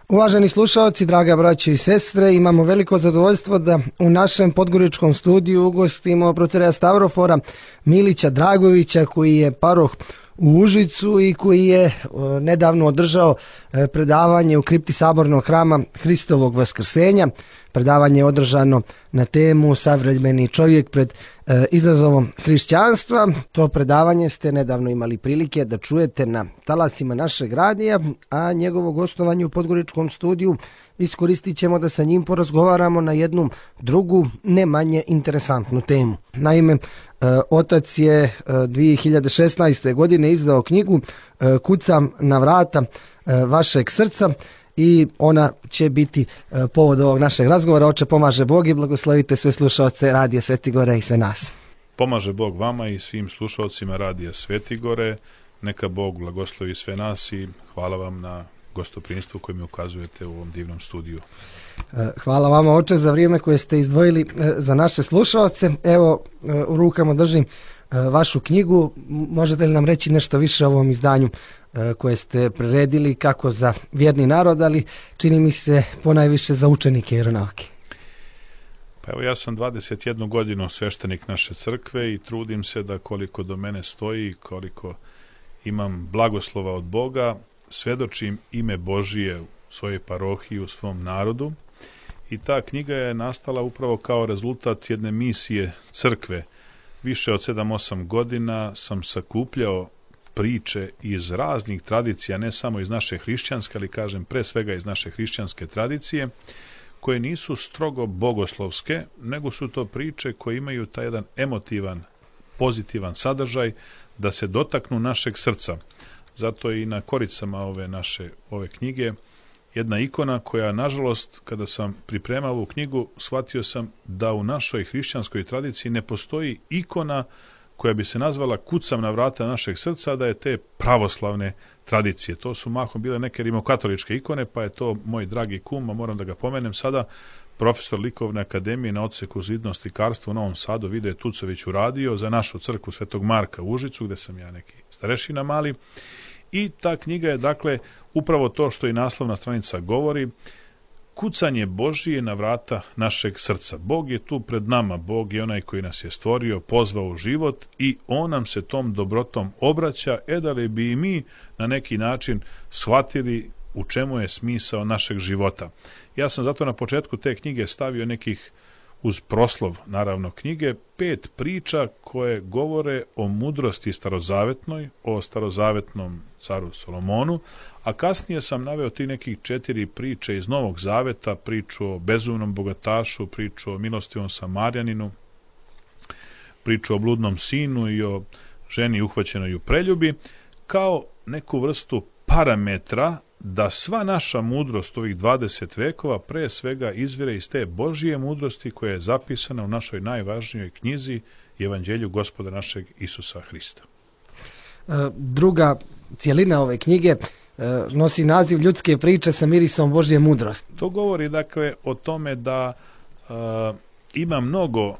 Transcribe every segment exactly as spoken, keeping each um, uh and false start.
Uvaženi slušalci, draga braćo i sestre, imamo veliko zadovoljstvo da u našem podgoričkom studiju ugostimo profesora Stavrofora Milića Dragovića, koji je paroh u Užicu i koji je nedavno održao predavanje u kripti Sabornog hrama Hristovog vaskrsenja. Predavanje je održano na temu Savremeni čovjek pred e, izazovom hrišćanstva. To predavanje ste nedavno imali prilike da čujete na talasima našeg radija, a njegovo gostovanje u podgoričkom studiju iskoristit ćemo da sa njim porazgovaramo na jednu drugu, ne manje interesantnu temu. Naime, e, otac je e, dvije hiljade šesnaeste. godine izdao knjigu e, Kucam na vrata e, vašeg srca, i ona će biti e, povod ovog našeg razgovora. Oče, pomaže Bog i blagoslovite sve slušaoce Radija Svetigore i sve nas. Pomaže Bog vama i svim slušaocima Radija Svetigore. Neka Bog blagoslovi sve nas i hvala vam na gostoprinstvu koje mi ukazujete u ovom divnom studiju. E, hvala vama, oče, za vrijeme koje ste izdvojili e, za naše slušaoce. Evo, e, u rukama držim e, vašu knjigu. Možete li nam reći nešto više o ovom izdanju koje ste priredili, kako za vjerni narod, ali čini mi se ponajviše za učenike vjeronauke? Pa evo, ja sam dvadeset jednu godinu sveštenik naše crkve i trudim se da koliko do mene stoji, koliko imam blagoslova od Boga, svedočim ime Božije u svojoj parohiji, u svom narodu. I ta knjiga je nastala upravo kao rezultat jedne misije crkve. Više od sedam osam godina sam sakupljao priče iz raznih tradicija, ne samo iz naše hrišćanske, ali kažem pre svega iz naše hrišćanske tradicije, koje nisu strogo bogoslovske, nego su to priče koje imaju taj jedan emotivan, pozitivan sadržaj da se dotaknu našeg srca. Zato i na koricama ove naše ove knjige jedna ikona koja, nažalost, kada sam pripremao ovu knjigu, shvatio sam da u našoj hrišćanskoj tradiciji ne postoji ikona koja bi se nazvala Kucam na vrata našeg srca, da je te pravoslavne tradicije. To su mahom bile neke rimokatoličke ikone, pa je to moj dragi kum, a moram da ga pomenem sada, profesor Likovne akademije na odseku zidno slikarstvo u Novom Sadu, Vide Tucović, uradio za našu crkvu Svetog Marka u Užicu, gde sam ja neki starešina mali. I ta knjiga je, dakle, upravo to što i naslovna stranica govori, kucanje Božije na vrata našeg srca. Bog je tu pred nama, Bog je onaj koji nas je stvorio, pozvao u život i On nam se tom dobrotom obraća, e da li bi i mi na neki način shvatili u čemu je smisao našeg života. Ja sam zato na početku te knjige stavio nekih, uz proslov naravno knjige, pet priča koje govore o mudrosti starozavetnoj, o starozavetnom caru Solomonu, a kasnije sam naveo ti nekih četiri priče iz Novog Zaveta, priču o bezumnom bogatašu, priču o milostivom Samarjaninu, priču o bludnom sinu i o ženi uhvaćenoj u preljubi, kao neku vrstu parametra da sva naša mudrost ovih dvadeset vekova pre svega izvire iz te Božije mudrosti koja je zapisana u našoj najvažnijoj knjizi, Evanđelju Gospoda našeg Isusa Hrista. Druga cijelina ove knjige nosi naziv Ljudske priče sa mirisom Božje mudrosti. To govori, dakle, o tome da uh, ima mnogo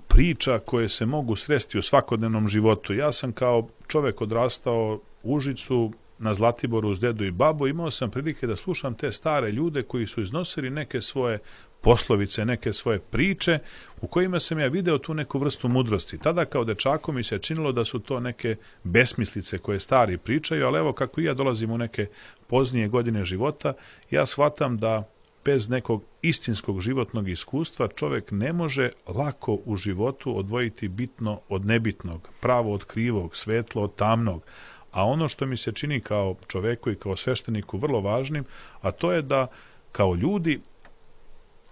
priča koje se mogu sresti u svakodnevnom životu. Ja sam kao čovek odrastao u Užicu, na Zlatiboru uz dedu i babu, imao sam prilike da slušam te stare ljude koji su iznosili neke svoje poslovice, neke svoje priče u kojima sam ja video tu neku vrstu mudrosti. Tada kao dečako mi se činilo da su to neke besmislice koje stari pričaju, ali evo kako i ja dolazim u neke poznije godine života, ja shvatam da bez nekog istinskog životnog iskustva čovek ne može lako u životu odvojiti bitno od nebitnog, pravo od krivog, svetlo od tamnog. A ono što mi se čini kao čoveku i kao svešteniku vrlo važnim, a to je da kao ljudi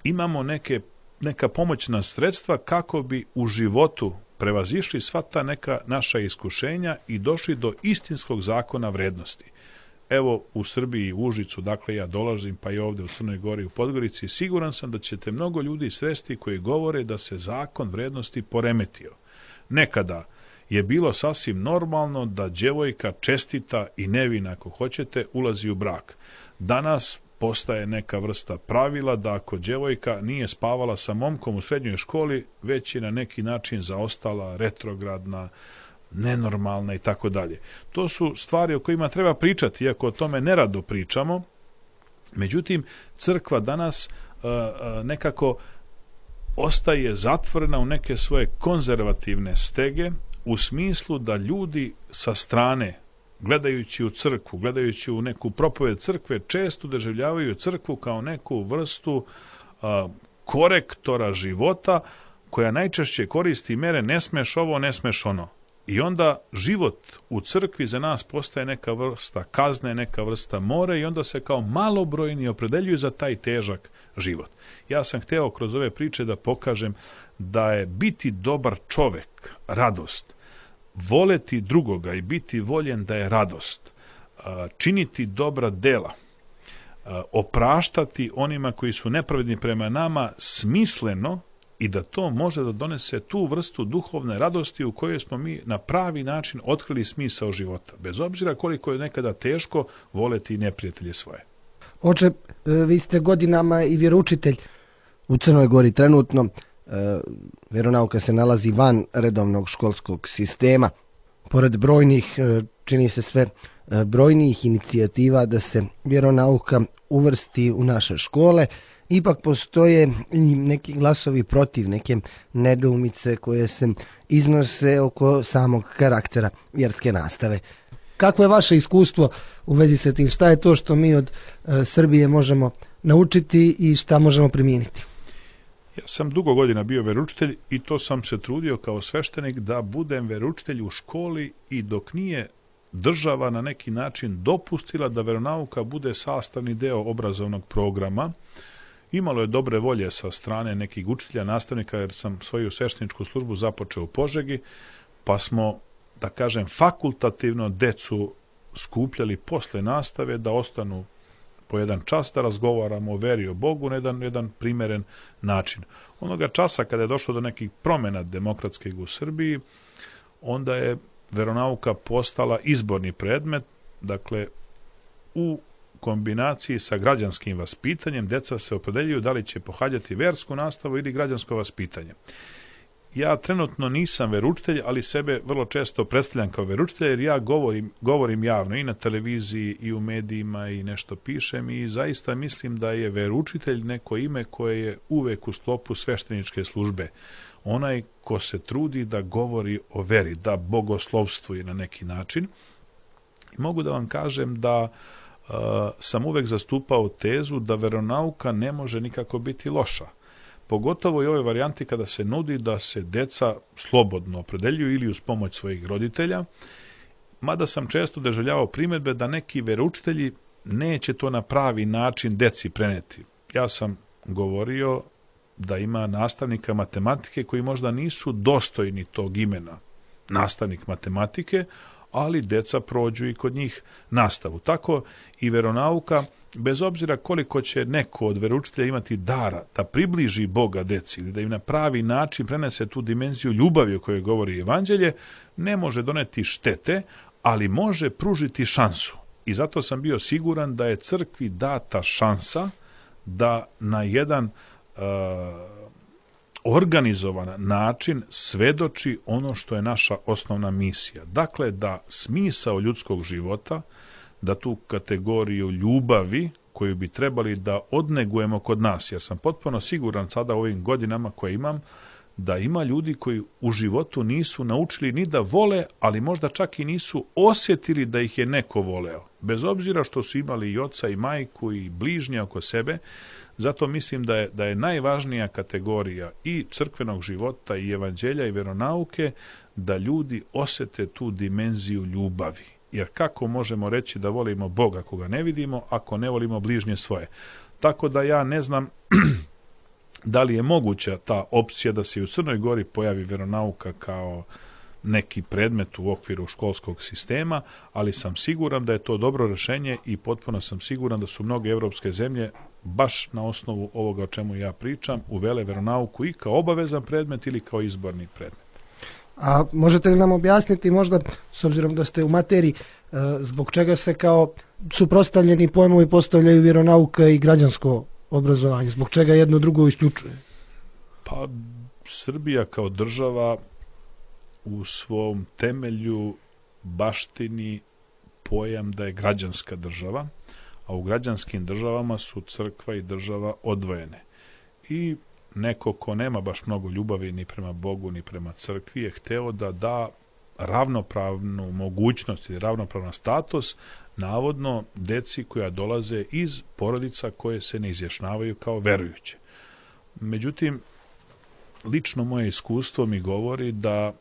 imamo neke, neka pomoćna sredstva kako bi u životu prevazišli sva ta neka naša iskušenja i došli do istinskog zakona vrednosti. Evo u Srbiji, u Užicu, dakle ja dolazim, pa i ovdje u Crnoj Gori, u Podgorici, siguran sam da ćete mnogo ljudi sresti koji govore da se zakon vrednosti poremetio. Nekada je bilo sasvim normalno da djevojka čestita i nevina, ako hoćete, ulazi u brak. Danas postaje neka vrsta pravila da ako djevojka nije spavala sa momkom u srednjoj školi, već je na neki način zaostala, retrogradna, nenormalna i tako dalje. To su stvari o kojima treba pričati, iako o tome nerado pričamo, Međutim, crkva danas nekako ostaje zatvorena u neke svoje konzervativne stege, u smislu da ljudi sa strane, gledajući u crkvu, gledajući u neku propoved crkve, često doživljavaju crkvu kao neku vrstu a, korektora života, koja najčešće koristi mere ne smeš ovo, ne smeš ono. I onda život u crkvi za nas postaje neka vrsta kazne, neka vrsta more i onda se kao malobrojni opredeljuju za taj težak život. Ja sam hteo kroz ove priče da pokažem da je biti dobar čovek radost, voleti drugoga i biti voljen da je radost, činiti dobra dela, opraštati onima koji su nepravedni prema nama smisleno i da to može da donese tu vrstu duhovne radosti u kojoj smo mi na pravi način otkrili smisao života, bez obzira koliko je nekada teško voleti neprijatelje svoje. Oče, vi ste godinama i vjeroučitelj u Crnoj Gori trenutno. Vjeronauka se nalazi van redovnog školskog sistema. Pored brojnih, čini se sve brojnijih inicijativa da se vjeronauka uvrsti u naše škole, ipak postoje i neki glasovi protiv, neke nedoumice koje se iznose oko samog karaktera vjerske nastave. Kako je vaše iskustvo u vezi sa tim? Šta je to što mi od e, Srbije možemo naučiti i šta možemo primijeniti? Ja sam dugo godina bio veroučitelj i to sam se trudio kao sveštenik da budem veroučitelj u školi i dok nije država na neki način dopustila da veronauka bude sastavni deo obrazovnog programa. Imalo je dobre volje sa strane nekih učitelja, nastavnika, jer sam svoju svešteničku službu započeo u Požegi, pa smo, da kažem, fakultativno decu skupljali posle nastave da ostanu po jedan čas da razgovaramo o veri, o Bogu na jedan, jedan primeren način. Onoga časa kada je došlo do nekih promjena demokratskih u Srbiji, onda je veronauka postala izborni predmet, dakle u kombinaciji sa građanskim vaspitanjem deca se opredeljuju da li će pohađati versku nastavu ili građansko vaspitanje. Ja trenutno nisam veroučitelj, ali sebe vrlo često predstavljam kao veroučitelj, jer ja govorim, govorim javno i na televiziji i u medijima i nešto pišem i zaista mislim da je veroučitelj neko ime koje je uvek u sklopu svešteničke službe. Onaj ko se trudi da govori o veri, da bogoslovstvuje na neki način. I mogu da vam kažem da Uh, sam uvek zastupao tezu da veronauka ne može nikako biti loša. Pogotovo i ove varijanti kada se nudi da se deca slobodno opredeljuju ili uz pomoć svojih roditelja, mada sam često doživljavao primjedbe da neki veroučitelji neće to na pravi način deci preneti. Ja sam govorio da ima nastavnika matematike koji možda nisu dostojni tog imena, nastavnik matematike, ali deca prođu i kod njih nastavu. Tako i veronauka, bez obzira koliko će neko od veroučitelja imati dara da približi Boga deci ili da im na pravi način prenese tu dimenziju ljubavi o kojoj govori evanđelje, ne može doneti štete, ali može pružiti šansu. I zato sam bio siguran da je crkvi data šansa da na jedan uh, organizovan način svedoči ono što je naša osnovna misija. Dakle, da smisao ljudskog života, da tu kategoriju ljubavi koju bi trebali da odnegujemo kod nas, jer sam potpuno siguran sada u ovim godinama koje imam, da ima ljudi koji u životu nisu naučili ni da vole, ali možda čak i nisu osjetili da ih je neko voleo. Bez obzira što su imali i oca i majku i bližnje oko sebe, zato mislim da je, da je najvažnija kategorija i crkvenog života i evanđelja i veronauke da ljudi osjete tu dimenziju ljubavi. Jer kako možemo reći da volimo Boga ako ga ne vidimo, ako ne volimo bližnje svoje? Tako da ja ne znam da li je moguća ta opcija da se u Crnoj Gori pojavi veronauka kao neki predmet u okviru školskog sistema, ali sam siguran da je to dobro rješenje i potpuno sam siguran da su mnoge evropske zemlje baš na osnovu ovoga o čemu ja pričam uvele veronauku i kao obavezan predmet ili kao izborni predmet. A možete li nam objasniti možda, s obzirom da ste u materiji, zbog čega se kao suprotstavljeni pojmovi postavljaju vjeronauka i građansko obrazovanje? Zbog čega jedno drugo isključuje? Pa Srbija kao država u svom temelju baštini pojam da je građanska država, a u građanskim državama su crkva i država odvojene. I neko ko nema baš mnogo ljubavi ni prema Bogu ni prema crkvi je hteo da da ravnopravnu mogućnost ili ravnopravan status navodno deci koja dolaze iz porodica koje se ne izjašnjavaju kao verujuće. Međutim, lično moje iskustvo mi govori da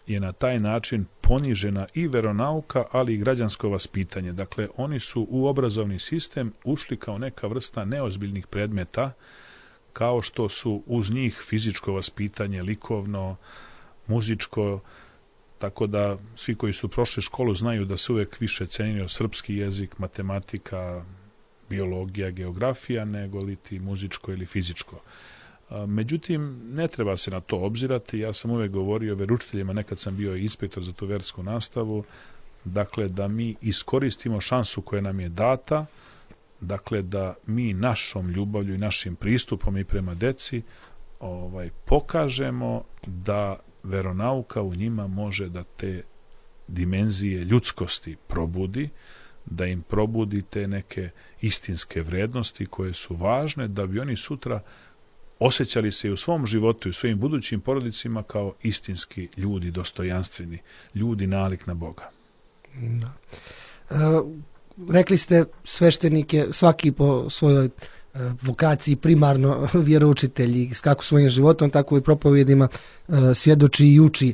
je na taj način ponižena i veronauka, ali i građansko vaspitanje. Dakle, oni su u obrazovni sistem ušli kao neka vrsta neozbiljnih predmeta, kao što su uz njih fizičko vaspitanje, likovno, muzičko, tako da svi koji su prošli školu znaju da se uvek više cenio srpski jezik, matematika, biologija, geografija, nego li ti muzičko ili fizičko. Međutim, ne treba se na to obzirati. Ja sam uvek govorio veroučiteljima, nekad sam bio inspektor za tu versku nastavu, dakle da mi iskoristimo šansu koja nam je data, dakle da mi našom ljubavlju i našim pristupom i prema deci ovaj, pokažemo da veronauka u njima može da te dimenzije ljudskosti probudi, da im probudi te neke istinske vrednosti koje su važne da bi oni sutra osjećali se i u svom životu i u svojim budućim porodicima kao istinski ljudi, dostojanstveni, ljudi nalik na Boga. Da. E, rekli ste sveštenike svaki po svojoj vokaciji primarno vjeroučitelji, kako svojim životom, tako i propovjedima svjedoči i uči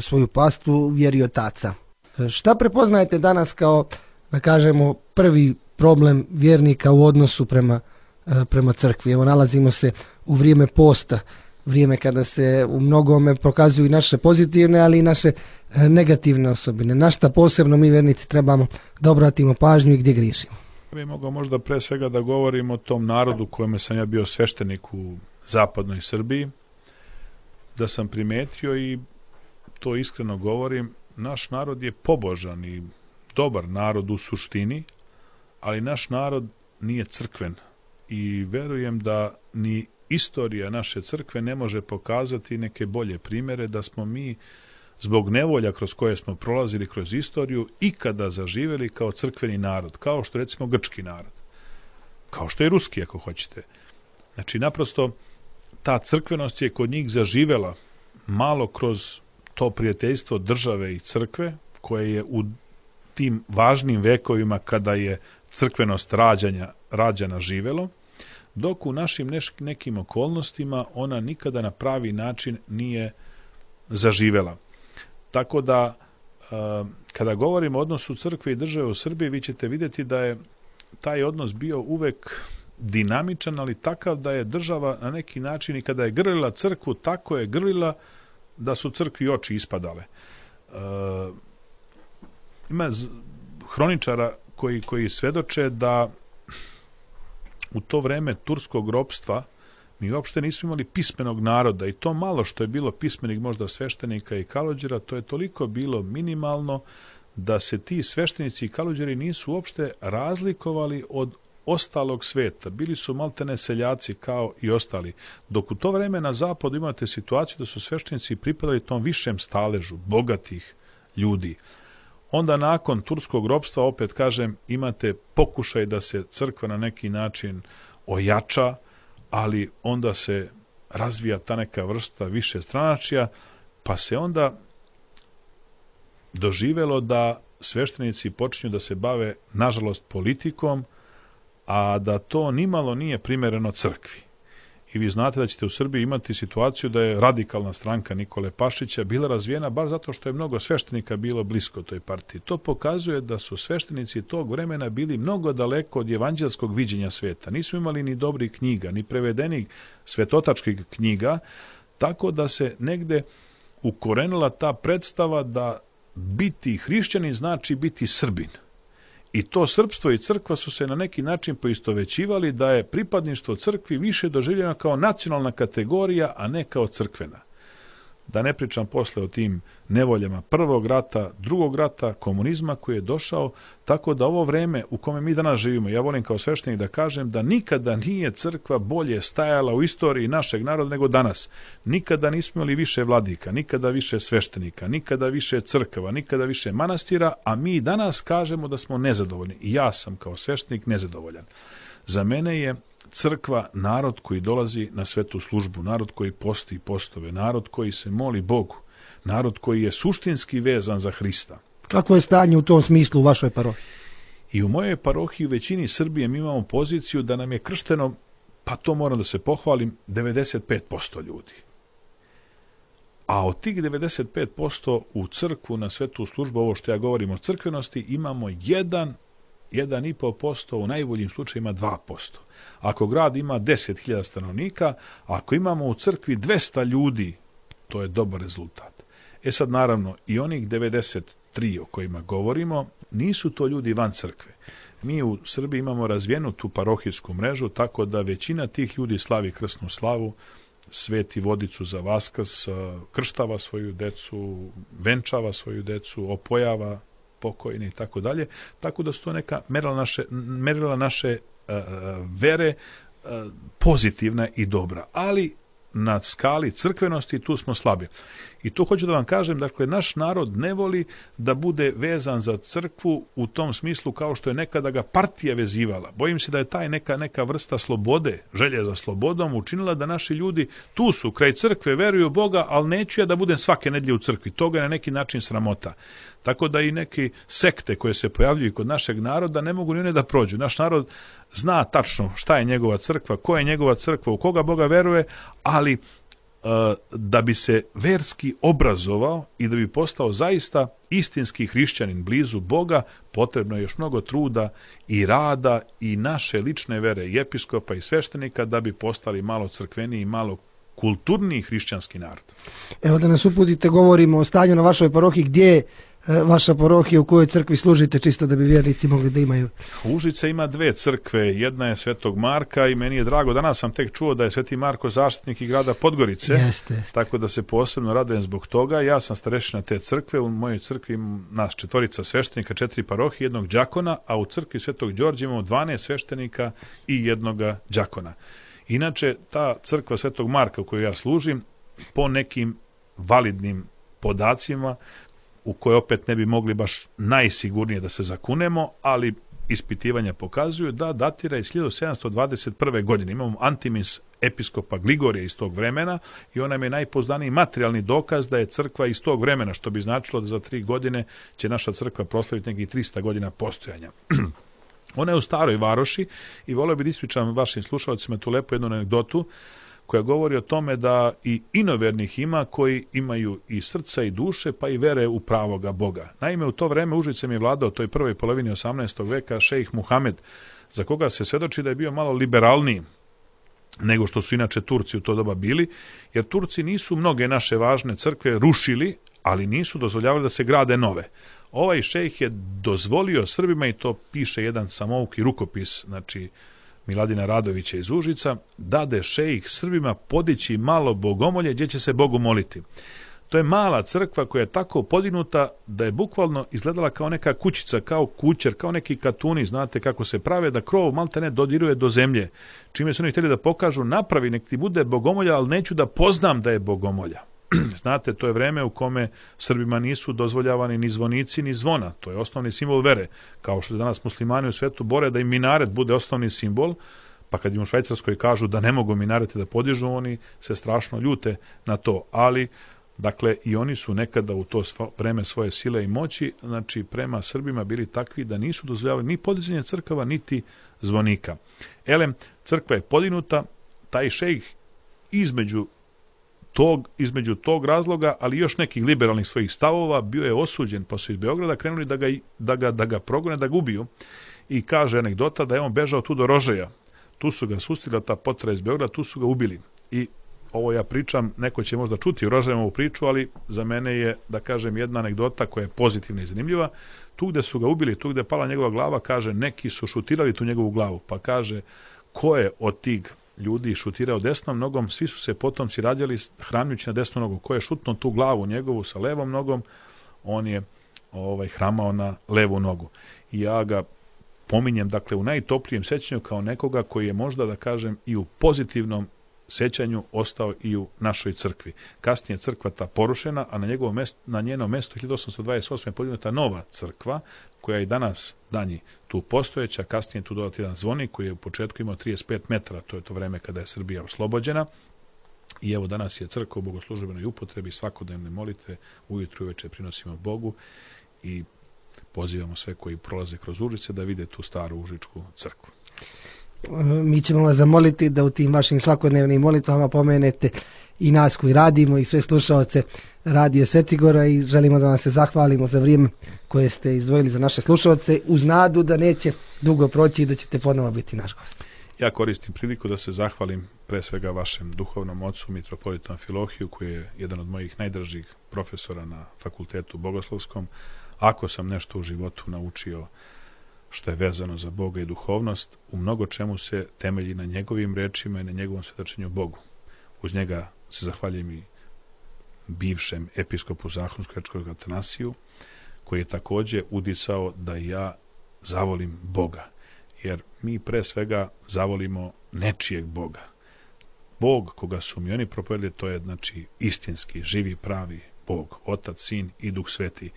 svoju pastvu vjeri otaca. Šta prepoznajete danas kao, da kažemo, prvi problem vjernika u odnosu prema, prema crkvi? Evo, nalazimo se u vrijeme posta, vrijeme kada se u mnogome pokazuju i naše pozitivne, ali i naše negativne osobine. Na šta posebno mi vjernici trebamo da obratimo pažnju i gdje griješimo? Mi mogu možda pre svega da govorim o tom narodu kojome sam ja bio sveštenik u zapadnoj Srbiji, da sam primetio i to iskreno govorim, naš narod je pobožan i dobar narod u suštini, ali naš narod nije crkven i verujem da ni istorija naše crkve ne može pokazati neke bolje primjere da smo mi zbog nevolja kroz koje smo prolazili kroz istoriju ikada zaživjeli kao crkveni narod, kao što recimo grčki narod, kao što je ruski ako hoćete. Znači naprosto ta crkvenost je kod njih zaživjela malo kroz to prijateljstvo države i crkve koje je u tim važnim vekovima kada je crkvenost rađanja, rađana živelo, dok u našim nekim okolnostima ona nikada na pravi način nije zaživela. Tako da, kada govorimo o odnosu crkve i države u Srbiji, vi ćete vidjeti da je taj odnos bio uvek dinamičan, ali takav da je država na neki način i kada je grlila crkvu, tako je grlila da su crkvi oči ispadale. Ima hroničara koji, koji svedoče da u to vreme turskog ropstva mi uopšte nismo imali pismenog naroda i to malo što je bilo pismenih možda sveštenika i kalođera, to je toliko bilo minimalno da se ti sveštenici i kalođeri nisu uopšte razlikovali od ostalog sveta. Bili su maltene seljaci kao i ostali. Dok u to vreme na zapadu imate situaciju da su sveštenici pripadali tom višem staležu, bogatih ljudi. Onda nakon turskog ropstva, opet kažem, imate pokušaj da se crkva na neki način ojača, ali onda se razvija ta neka vrsta više stranačja, pa se onda doživelo da sveštenici počinju da se bave, nažalost, politikom, a da to nimalo nije primereno crkvi. I vi znate da ćete u Srbiji imati situaciju da je radikalna stranka Nikole Pašića bila razvijena baš zato što je mnogo sveštenika bilo blisko toj partiji. To pokazuje da su sveštenici tog vremena bili mnogo daleko od evanđelskog viđenja sveta. Nisu imali ni dobrih knjiga, ni prevedenih svetotačkih knjiga, tako da se negde ukorenila ta predstava da biti hrišćanin znači biti Srbin. I to srpstvo i crkva su se na neki način poistovećivali da je pripadništvo crkvi više doživljeno kao nacionalna kategorija, a ne kao crkvena. Da ne pričam posle o tim nevoljama prvog rata, drugog rata, komunizma koji je došao, tako da ovo vreme u kome mi danas živimo, ja volim kao sveštenik da kažem da nikada nije crkva bolje stajala u istoriji našeg naroda nego danas. Nikada nismo imali više vladika, nikada više sveštenika, nikada više crkava, nikada više manastira, a mi danas kažemo da smo nezadovoljni. I ja sam kao sveštenik nezadovoljan. Za mene je crkva narod koji dolazi na svetu službu, narod koji posti postove, narod koji se moli Bogu, narod koji je suštinski vezan za Hrista. Kako je stanje u tom smislu u vašoj parohiji? I u mojoj parohiji u većini Srbije mi imamo poziciju da nam je kršteno, pa to moram da se pohvalim, devedeset pet posto ljudi. A od tih devedeset pet posto u crkvu na svetu službu, ovo što ja govorim o crkvenosti, imamo jedan jedan i po posto, u najboljim slučajima dva posto. Ako grad ima deset hiljada stanovnika, ako imamo u crkvi dvesta ljudi, to je dobar rezultat. E sad naravno i onih devedeset tri o kojima govorimo, nisu to ljudi van crkve. Mi u Srbiji imamo razvijenu tu parohijsku mrežu, tako da većina tih ljudi slavi krsnu slavu, sveti vodicu za Vaskrs, krštava svoju decu, venčava svoju decu, opojava pokojni i tako dalje, tako da su to neka merila naše, merila naše uh, vere uh, pozitivna i dobra, ali na skali crkvenosti tu smo slabi. I to hoću da vam kažem, dakle, naš narod ne voli da bude vezan za crkvu u tom smislu kao što je nekada ga partija vezivala. Bojim se da je taj neka, neka vrsta slobode, želje za slobodom, učinila da naši ljudi tu su, kraj crkve, veruju u Boga, ali neću ja da budem svake nedelje u crkvi. Toga je na neki način sramota. Tako da i neki sekte koje se pojavljuju kod našeg naroda ne mogu ni one da prođu. Naš narod zna tačno šta je njegova crkva, ko je njegova crkva, u koga Boga veruje, ali da bi se verski obrazovao i da bi postao zaista istinski hrišćanin blizu Boga, potrebno je još mnogo truda i rada i naše lične vere i episkopa i sveštenika da bi postali malo crkveniji i malo kulturniji hrišćanski narod. Evo da nas uputite, govorimo o stanju na vašoj parohiji, gdje je vaša parohija, u kojoj crkvi služite, čisto da bi vjernici mogli da imaju? Užice ima dve crkve, jedna je Svetog Marka i meni je drago, danas sam tek čuo da je Sveti Marko zaštitnik i grada Podgorice, jeste, jeste. Tako da se posebno radujem zbog toga. Ja sam starešina te crkve, u mojoj crkvi nas četvorica sveštenika, četiri parohije, jednog đakona, a u crkvi Svetog Đorđa imamo dvanaest sveštenika i jednoga đakona. Inače, ta crkva Svetog Marka u kojoj ja služim, po nekim validnim podacima, u koje opet ne bi mogli baš najsigurnije da se zakunemo, ali ispitivanja pokazuju da datira iz hiljadu sedamsto dvadeset prve. godine. Imamo Antimis episkopa Gligorija iz tog vremena i on nam je najpoznaniji materijalni dokaz da je crkva iz tog vremena, što bi značilo da za tri godine će naša crkva proslaviti nekih trista godina postojanja. Ona je u Staroj Varoši i voleo bih da ispričam vašim slušalcima tu lepu jednu anegdotu koja govori o tome da i inovernih ima koji imaju i srca i duše, pa i vere u pravoga Boga. Naime, u to vreme Užicem je vladao toj prvoj polovini osamnaestog veka šejh Muhamed, za koga se svedoči da je bio malo liberalniji nego što su inače Turci u to doba bili, jer Turci nisu mnoge naše važne crkve rušili, ali nisu dozvoljavali da se grade nove. Ovaj šejh je dozvolio Srbima, i to piše jedan samouki rukopis, znači Miladina Radovića iz Užica, dade šejh Srbima podići malo bogomolje gdje će se Bogu moliti. To je mala crkva koja je tako podignuta da je bukvalno izgledala kao neka kućica, kao kućer, kao neki katuni, znate kako se prave, da krov malte ne dodiruje do zemlje. Čime su oni htjeli da pokažu, napravi, nek ti bude bogomolja, ali neću da poznam da je bogomolja. Znate, to je vreme u kome Srbima nisu dozvoljavani ni zvonici ni zvona. To je osnovni simbol vere. Kao što danas muslimani u svetu bore da im minaret bude osnovni simbol, pa kad im u Švajcarskoj kažu da ne mogu minarete da podižu, oni se strašno ljute na to. Ali, dakle, i oni su nekada u to vreme svoje sile i moći, znači prema Srbima bili takvi da nisu dozvoljavali ni podizanje crkava, niti zvonika. Elem, crkva je podignuta, taj šejh između Tog, između tog razloga, ali još nekih liberalnih svojih stavova, bio je osuđen, pa su iz Beograda krenuli da ga, da ga, da ga progone, da ga ubiju. I kaže anegdota da je on bežao tu do Rožaja. Tu su ga sustila ta potra iz Beograda, tu su ga ubili. I ovo ja pričam, neko će možda čuti u Rožajem ovu priču, ali za mene je, da kažem, jedna anegdota koja je pozitivna i zanimljiva. Tu gde su ga ubili, tu gde je pala njegova glava, kaže, neki su šutirali tu njegovu glavu. Pa kaže, ko je od tih ljudi šutirao desnom nogom, svi su se potomci rađali hramljući na desnu nogu. Ko je šutnuo tu glavu njegovu sa levom nogom, on je ovaj, hramao na levu nogu. I ja ga pominjem, dakle, u najtoplijem sećanju kao nekoga koji je možda, da kažem, i u pozitivnom sećanju ostao i u našoj crkvi. Kasnije crkva ta porušena, a na, njegovo mesto, na njeno mesto hiljadu osamsto dvadeset osme je podignuta nova crkva, koja je i danas danji tu postojeća. Kasnije je tu dodat jedan zvonik koji je u početku imao trideset pet metara, to je to vreme kada je Srbija oslobođena. I evo danas je crkva u bogoslužbenoj upotrebi, svakodnevne molitve ujutru i uveče prinosimo Bogu i pozivamo sve koji prolaze kroz Užice da vide tu staru užičku crkvu. Mi ćemo vas zamoliti da u tim vašim svakodnevnim molitvama pomenete i nas koji radimo i sve slušaoce Radija Svetigora i želimo da vam se zahvalimo za vrijeme koje ste izdvojili za naše slušaoce uz nadu da neće dugo proći i da ćete ponovo biti naš gost. Ja koristim priliku da se zahvalim pre svega vašem duhovnom ocu, mitropolitu Amfilohiju, koji je jedan od mojih najdražih profesora na fakultetu bogoslovskom. Ako sam nešto u životu naučio što je vezano za Boga i duhovnost, u mnogo čemu se temelji na njegovim rečima i na njegovom svedočenju Bogu. Uz njega se zahvaljujem i bivšem episkopu Zahumsko-Grečkog Atanasiju, koji je također udisao da ja zavolim Boga. Jer mi pre svega zavolimo nečijeg Boga. Bog koga su mi oni propovedali, to je znači istinski, živi, pravi Bog, Otac, Sin i Duh Sveti.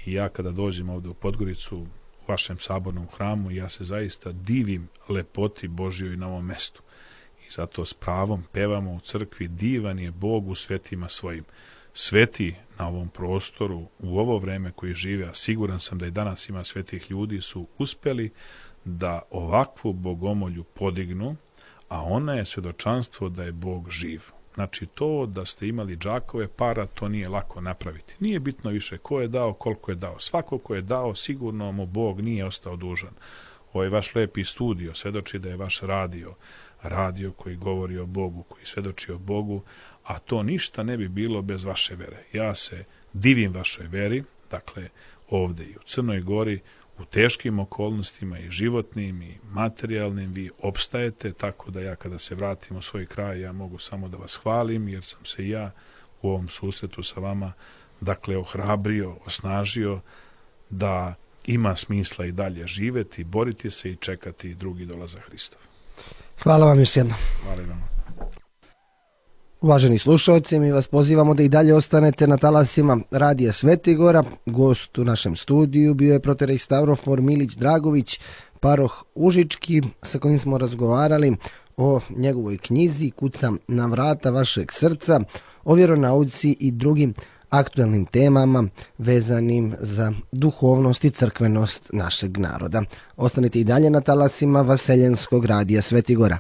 I ja kada dođem ovdje u Podgoricu, u vašem sabornom hramu, ja se zaista divim lepoti Božjoj na ovom mestu. I zato s pravom pevamo u crkvi: divan je Bog u svetima svojim. Sveti na ovom prostoru, u ovo vreme koji žive, a siguran sam da i danas ima svetih ljudi, su uspjeli da ovakvu bogomolju podignu, a ona je svjedočanstvo da je Bog živ. Znači to da ste imali džakove para, to nije lako napraviti. Nije bitno više ko je dao, koliko je dao. Svako ko je dao, sigurno mu Bog nije ostao dužan. Ovaj vaš lepi studio svjedoči da je vaš radio, radio koji govori o Bogu, koji svjedoči o Bogu, a to ništa ne bi bilo bez vaše vere. Ja se divim vašoj veri, dakle ovdje i u Crnoj Gori, u teškim okolnostima i životnim i materijalnim vi opstajete, tako da ja kada se vratim u svoj kraj, ja mogu samo da vas hvalim, jer sam se ja u ovom susretu sa vama, dakle, ohrabrio, osnažio da ima smisla i dalje živjeti, boriti se i čekati drugi dolazak Hristov. Hvala vam još jednom. Hvala vam. Uvaženi slušalci, mi vas pozivamo da i dalje ostanete na talasima Radija Svetigora. Gost u našem studiju bio je proterej Stavrofor Milić Dragović, paroh Užički, sa kojim smo razgovarali o njegovoj knjizi Kucam na vrata vašeg srca, o vjeronauci i drugim aktualnim temama vezanim za duhovnost i crkvenost našeg naroda. Ostanite i dalje na talasima Vaseljenskog Radija Svetigora.